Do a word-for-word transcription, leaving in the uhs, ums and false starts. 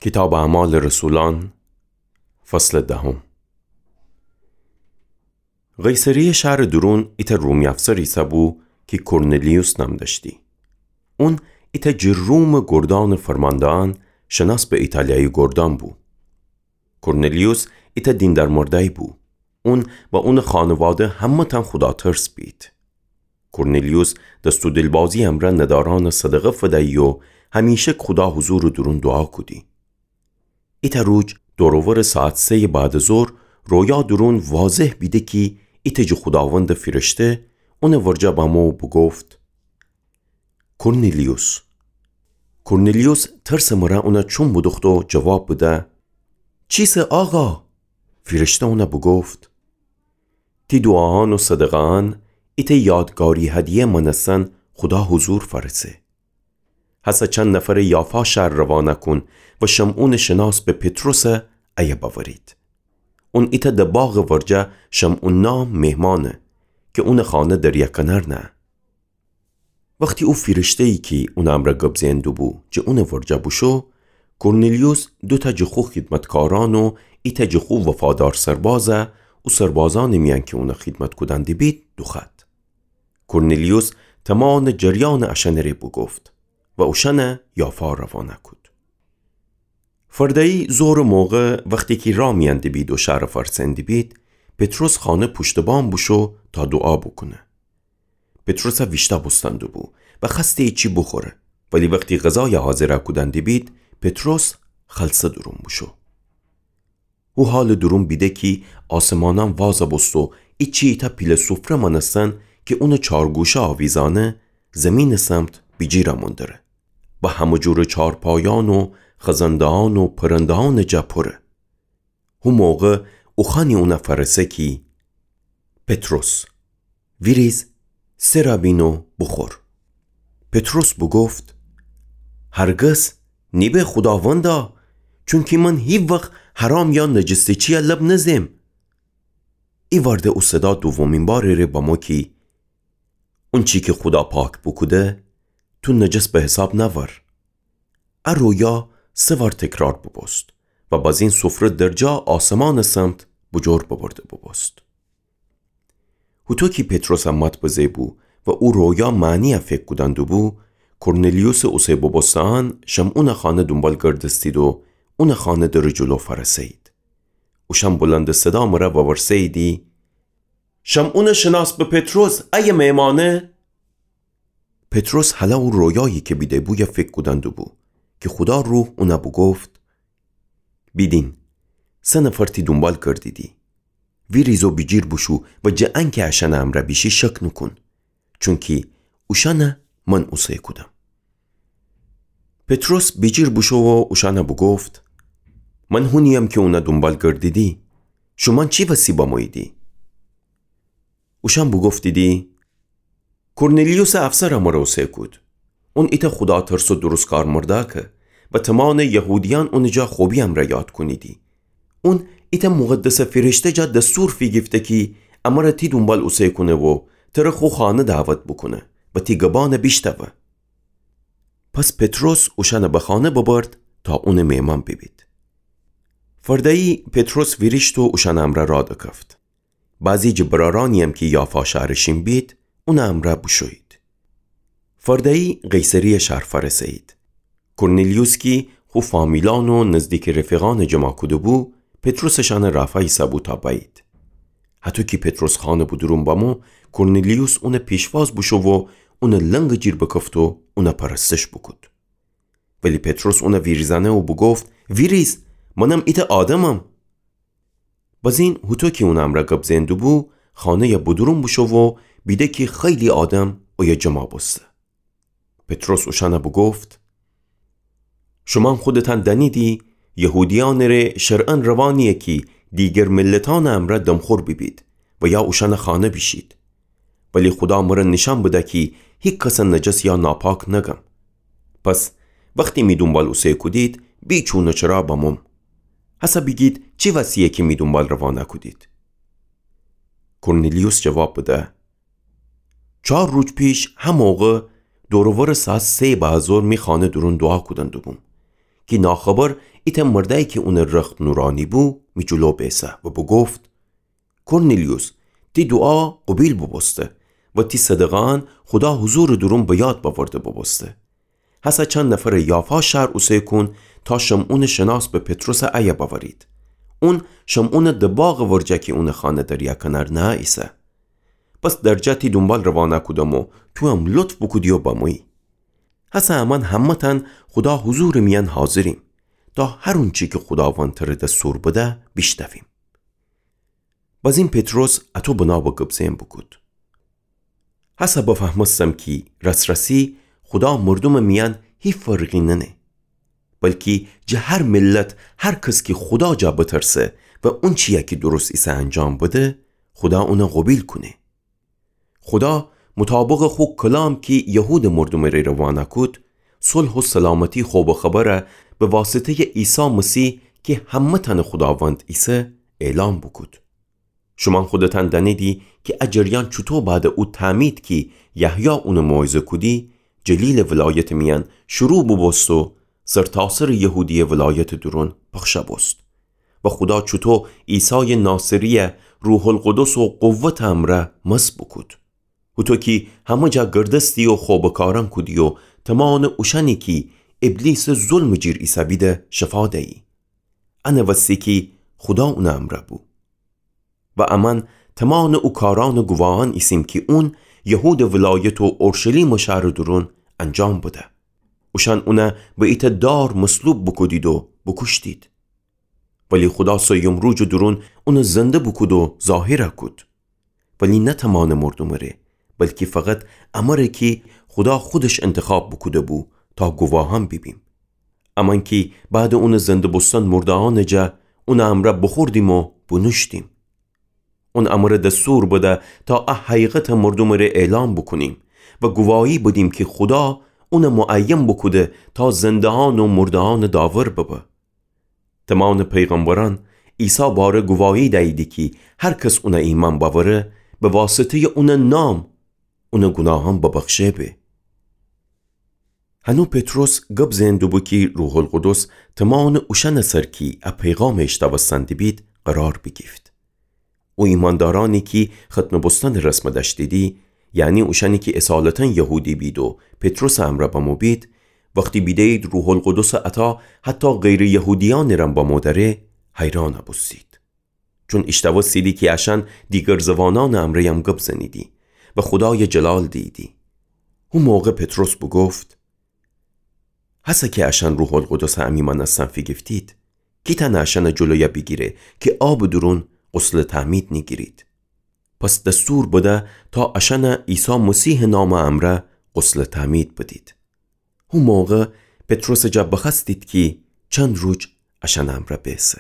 کیتابٚ اعمالٚ رسولأن، فصلٚ دهم. قیصریه شهرٚ دورون ایتأ رومی افسر ایسه‌بو کی کورنلیوس نام دأشتی. اون ایتأ جٚه رومٚ گردانٚ فرمانده‌یأن، شناس به ایتالیایی گردان بو. کورنلیوس ایتأ دیندار مردأیی بو. اون و اونٚ خانواده همه‌تأن خوداترس بید. کورنلیوس دست و دیلبازی امرأ ندارأنٚ صدقه فدیی و همیشک خودا حضورٚ دورون دوعا کودی. ایتأ روج دور و ورٚ ساعت سه‌یٚ بعدٚ ظهر رویا دورون واضح بیده کی ایتأ جٚه خوداوندٚ فیرشته اونٚ ورجه بمو و بوگفت: کورنلیوس. کورنلیوس ترسٚ مرأ اونَ چوم بودوخته و جواب بده: چیسه آقا؟ فیرشته اونَ بوگفت: تی دوعاهان و صدقه‌هان ایتأ یادگاری هدیه مأنستن خودا حضور فأرسه. هسه چند نفرَ یافا شهر روانه کون و شمعونٚ شناس به پطرسَ ایه بأورید. اون ایتأ ده باغٚ ورجه شمعون نام مهمأنه کی اونٚ خانه دریا کنار نهه. وختی او فیرشته‌یی کی اونٚ امرأ گب زئن دوبو جٚه اونٚ ورجه بوشو، کورنلیوس دوتأ جٚه خو خیدمتکارأن و ایتأ جٚه خو وفادار سربازَ او سربازأنٚ میأن کی اونَ خیدمت کودن دیبید دوخوأد. کورنلیوس تمانٚ جریانَ اشأنٚ ره بوگفت و اوشأنَ یافا روانه کود. فرده‌یی ظهرٚ موقع وختی کی راه میأن دیبید و شهرَ فأرسئن دیبید، پطرس خانه پوشتٚ بام بوشو تا دوعا بوکونه. پطرسَ ویشتأ بوستن دوبو و خوأسته ایچی بوخوره، ولی وختی غذایَ حاضر کودن دیبید، پطرس خلسه دورون بوشو. هو حالٚ دورون بیده کی آسمانأن وازَ بوسته و ایچی ایتأ پیله سفره مأنستن کی اونٚ چارگوشه آویزأنه زیمینٚ سمت بیجیر امون دره و همه جورٚ چارپایأن و خزنده‌یأن و پرنده‌یأنٚ جا پوره. هو موقع اوخوأنی اونَ فأرسه کی پطرس، ویریز، سرَ بین و بوخور. پطرس بوگفت: هرگز، نیبه خوداوندا، چونکی من هیوخت حرام یا نجسٚ چیَ لب نزم. ایوأرده او صدا دومین بارٚ ره بمو کی اونچی کی خودا پاک بوکوده، تو نجس به حساب نأور. ا رویا سه وار تکرار بوبوست و بازین سفره درجا آسمانٚ سمت بوجور ببرده بوبوست. هوطو کی پطرسَ مات بزه بو و او رویا معنیَ فکر کودن دوبو، کورنلیوسٚ اوسه بوبوسته‌یأن شمعونٚ خانه دونبال گردستید و اونٚ خانه درٚ جلو فأرسه‌یید. اوشأن بلندٚ صدا مرأ وورسه‌ییدی: شمعونٚ شناس به پطرس، ایه مهمأنه؟ پطرس هلأ او رویایی کی بیده بویَ فکر کودن دوبو کی خودا روح اونَ بوگفت: بیدین، سه نفر تی دونبال گردیدی. ویریز و بیجیر بوشو و جٚه انکی اشأنٚ امرأ بیشی شک نوکون، چونکی اوشأنَ من اوسه کودم. پطرس بیجیر بوشو و اوشأنَ بوگفت: من هونی‌یم کی اونَ دونبال گردیدی. شومأن چی وسی بموییدی؟ اوشأن بوگفتیدی: کورنلیوسٚ افسرَ مرَ اوسه کود. اون ایتأ خوداترس و درستکار مردأکه و تمانٚ یهودیأن اونٚ جا خوبی امرأ یاد کونیدی. اون ایتأ مقدسٚ فیرشته جا دستور فیگیفته کی امرأ تی دونبال اوسه کونه و تره خو خانه دعوت بوکونه و تی گبأنَ بیشتأوه. پس پطرس اوشأنَ به خانه ببرد تا اونٚ مهمأن بیبید. فرده‌یی پطرس ویریشت و اوشأنٚ امرأ راه دکفت. بعضی جٚه برأرأنی‌یم کی یافا شهرٚ شین بید، اونٚ امرأ بوشویید. فرده‌یی قیصریه شهر فأرسه‌یید. کورنلیوس کی خو فامیلأن و نزدیکی رفیقأنَ جمع کوده‌بو، پطرسٚ شأنٚ رأفا ایسه‌بو تا بأیید. هطو کی پطرس خانٚ بودورون بمو، کورنلیوس اونٚ پیشواز بوشو و اونٚ لنگٚ جیر بکفت و اونَ پرستش بوکود. ولی پطرس اونَ ویریزأنه و بوگفت: ویریز، منم ایتأ آدمم. بزین هوطو کی اونٚ امرأ گب زئن دوبو، خانه‌یَ بودورون بوشو و بیده کی خیلی آدم اویه جمع بوسته. پطرس اوشأنَ بوگفت: شومأن خودتأن دأنیدی یهودیأنٚ ره شرعاً روا نییه کی دیگر ملتأنٚ امرأ دمخور بیبید و یا اوشأنٚ خانه بیشید. ولی خودا مرَ نیشأن بده کی هیکسَ نجس یا ناپاک نگم. پس وختی می دونبال اوسه کودید، بیچون و چرا بموم. هسه بیگید چی وسیه کی می دونبال روا نکودید؟ کورنلیوس جواب بده: چار روج پیش هموقع دور و ورٚ ساعت سه بعد ظهر می خانه دورون دوعا کودن دوبوم کی ناخبر ایتأ مردأیی کی اونٚ رخت نورأنی بو، می جلو بیسه و بوگفت: کورنیلیوس، تی دوعا قوبیل بوبوسته و تی صدقه‌یأن خودا حضورٚ دورون به یاد بأورده بوبوسته. هسه چند نفرٚ یافا شهر اوسه کون تا شمعونٚ شناس به پطرسٚ ایه بأورید. اون شمعونٚ د باغٚ ورجه کی اونٚ خانه دریا کنار نهه ایسه. پس درجه تی دونبال روانه کودم و توام لطف بوکودی و بمویی. هسه امأن همه‌تأن خودا حضورٚ میأن حاضریم تا هر اونچی کی خوداوند تره دستور بده بیشنویم. بزین پطرس اطو بنابه گب زئن بوکود: هسه بفهمستم کی راس‌راسی خودا مردومٚ میأن هی فرقی ننه، بلکی جٚه هر ملت هر کس کی خودا جا بترسه و اونچیی کی درست ایسه انجام بده، خودا اونه قوبیل کونه. خودا مطابقٚ خو کلام کی یهودٚ مردومٚ ره روانه کود، صلح و سلامتی خوبٚ خبره به واسطه‌یٚ عیسی مسیح کی همه‌تأنٚ خوداوند ایسه اعلام بوکود. شومأن خودتأن دأنیدی کی ا جریان چوطو بعدٚ او تعمید کی یحیی اونه موعظه کودی، جلیلٚ ولایتٚ میأن شروع بوبوست و سرتاسرٚ یهودیه ولایتٚ دورون پخش بوست. و خودا چوطو عیسایٚ ناصریه روح‌القدس و قوتٚ امرأ مسح بوکود. هوطو کی همه جا گردستی و خوبٚ کارأن کودی و تمانٚ اوشأنی کی ابلیسٚ ظلمٚ جیر ایسه‌بیده شفا دیی. انه وستی کی خودا اونٚ امرأ بو. و امأن تمانٚ او کارأنٚ گواهأن ایسیم کی اون یهودٚ ولایت و اورشلیمٚ شهرٚ دورون انجام بده. اوشأن اونه به ایتأ دار مصلوب بوکودید و بوکوشتید. ولی خودا سیوم روجٚ دورون اونه زنده بوکود و ظاهر کود. ولی نه تمانٚ مردومٚ ره، بلکی فقط امره کی خودا خودش انتخاب بوکوده بو تا گواهأن بیبیم. امأن کی بعدٚ اونٚ زنده بوستن مرده‌یأنٚ جا اونٚ امرأ بوخوردیم و بونوشتیم. اون امره دستور بده تا ا حقیقت مردومٚ ره اعلام بوکونیم و گواهی بدیم کی خودا اونه معین بوکوده تا زنده‌یأن و مرده‌یأنٚ داور ببه. تمانٚ پیغمبرأن عیسی باره گواهی دییدی کی هر کس اونه ایمأن بأوره، به واسطه‌یٚ اونٚ نام اونٚ گوناهأن ببخشه به. هنو پطرس گب زئن دوبو کی روح‌القدس تمانٚ اوشأنٚ سر کی ا پیغام ایشتوستن دیبید قرار بیگیفت. او ایمأندارأنی کی ختنه بوستنٚ رسم دأشتیدی، یعنی اوشأنی کی اصالتاً یهودی بید و پطرسٚ امرأ بمو بید، وختی بیده‌یید روح‌القدسٚ عطا حتی غیرٚ یهودیأنٚ رم بمو دأره، حیران بوستید. چون ایشتوستیدی کی اشأن دیگر زوانأنٚ امرأیم گب زنیدی و خودایٚ جلال دییدی. هو موقع پطرس بوگفت: هسه کی اشأن روح‌القدسٚ امی مأنستن فیگیفتید، کی تأنه اشأنٚ جلوی بیگیره کی آبٚ دورون غسلٚ تعمید نیگیرید؟ پس دستور بده تا اشأن عیسی مسیحٚ نامٚ امرأ غسلٚ تعمید بدید. هو موقع پطرسٚ جا بخوأستید کی چند روج اشأنٚ امرأ بیسه.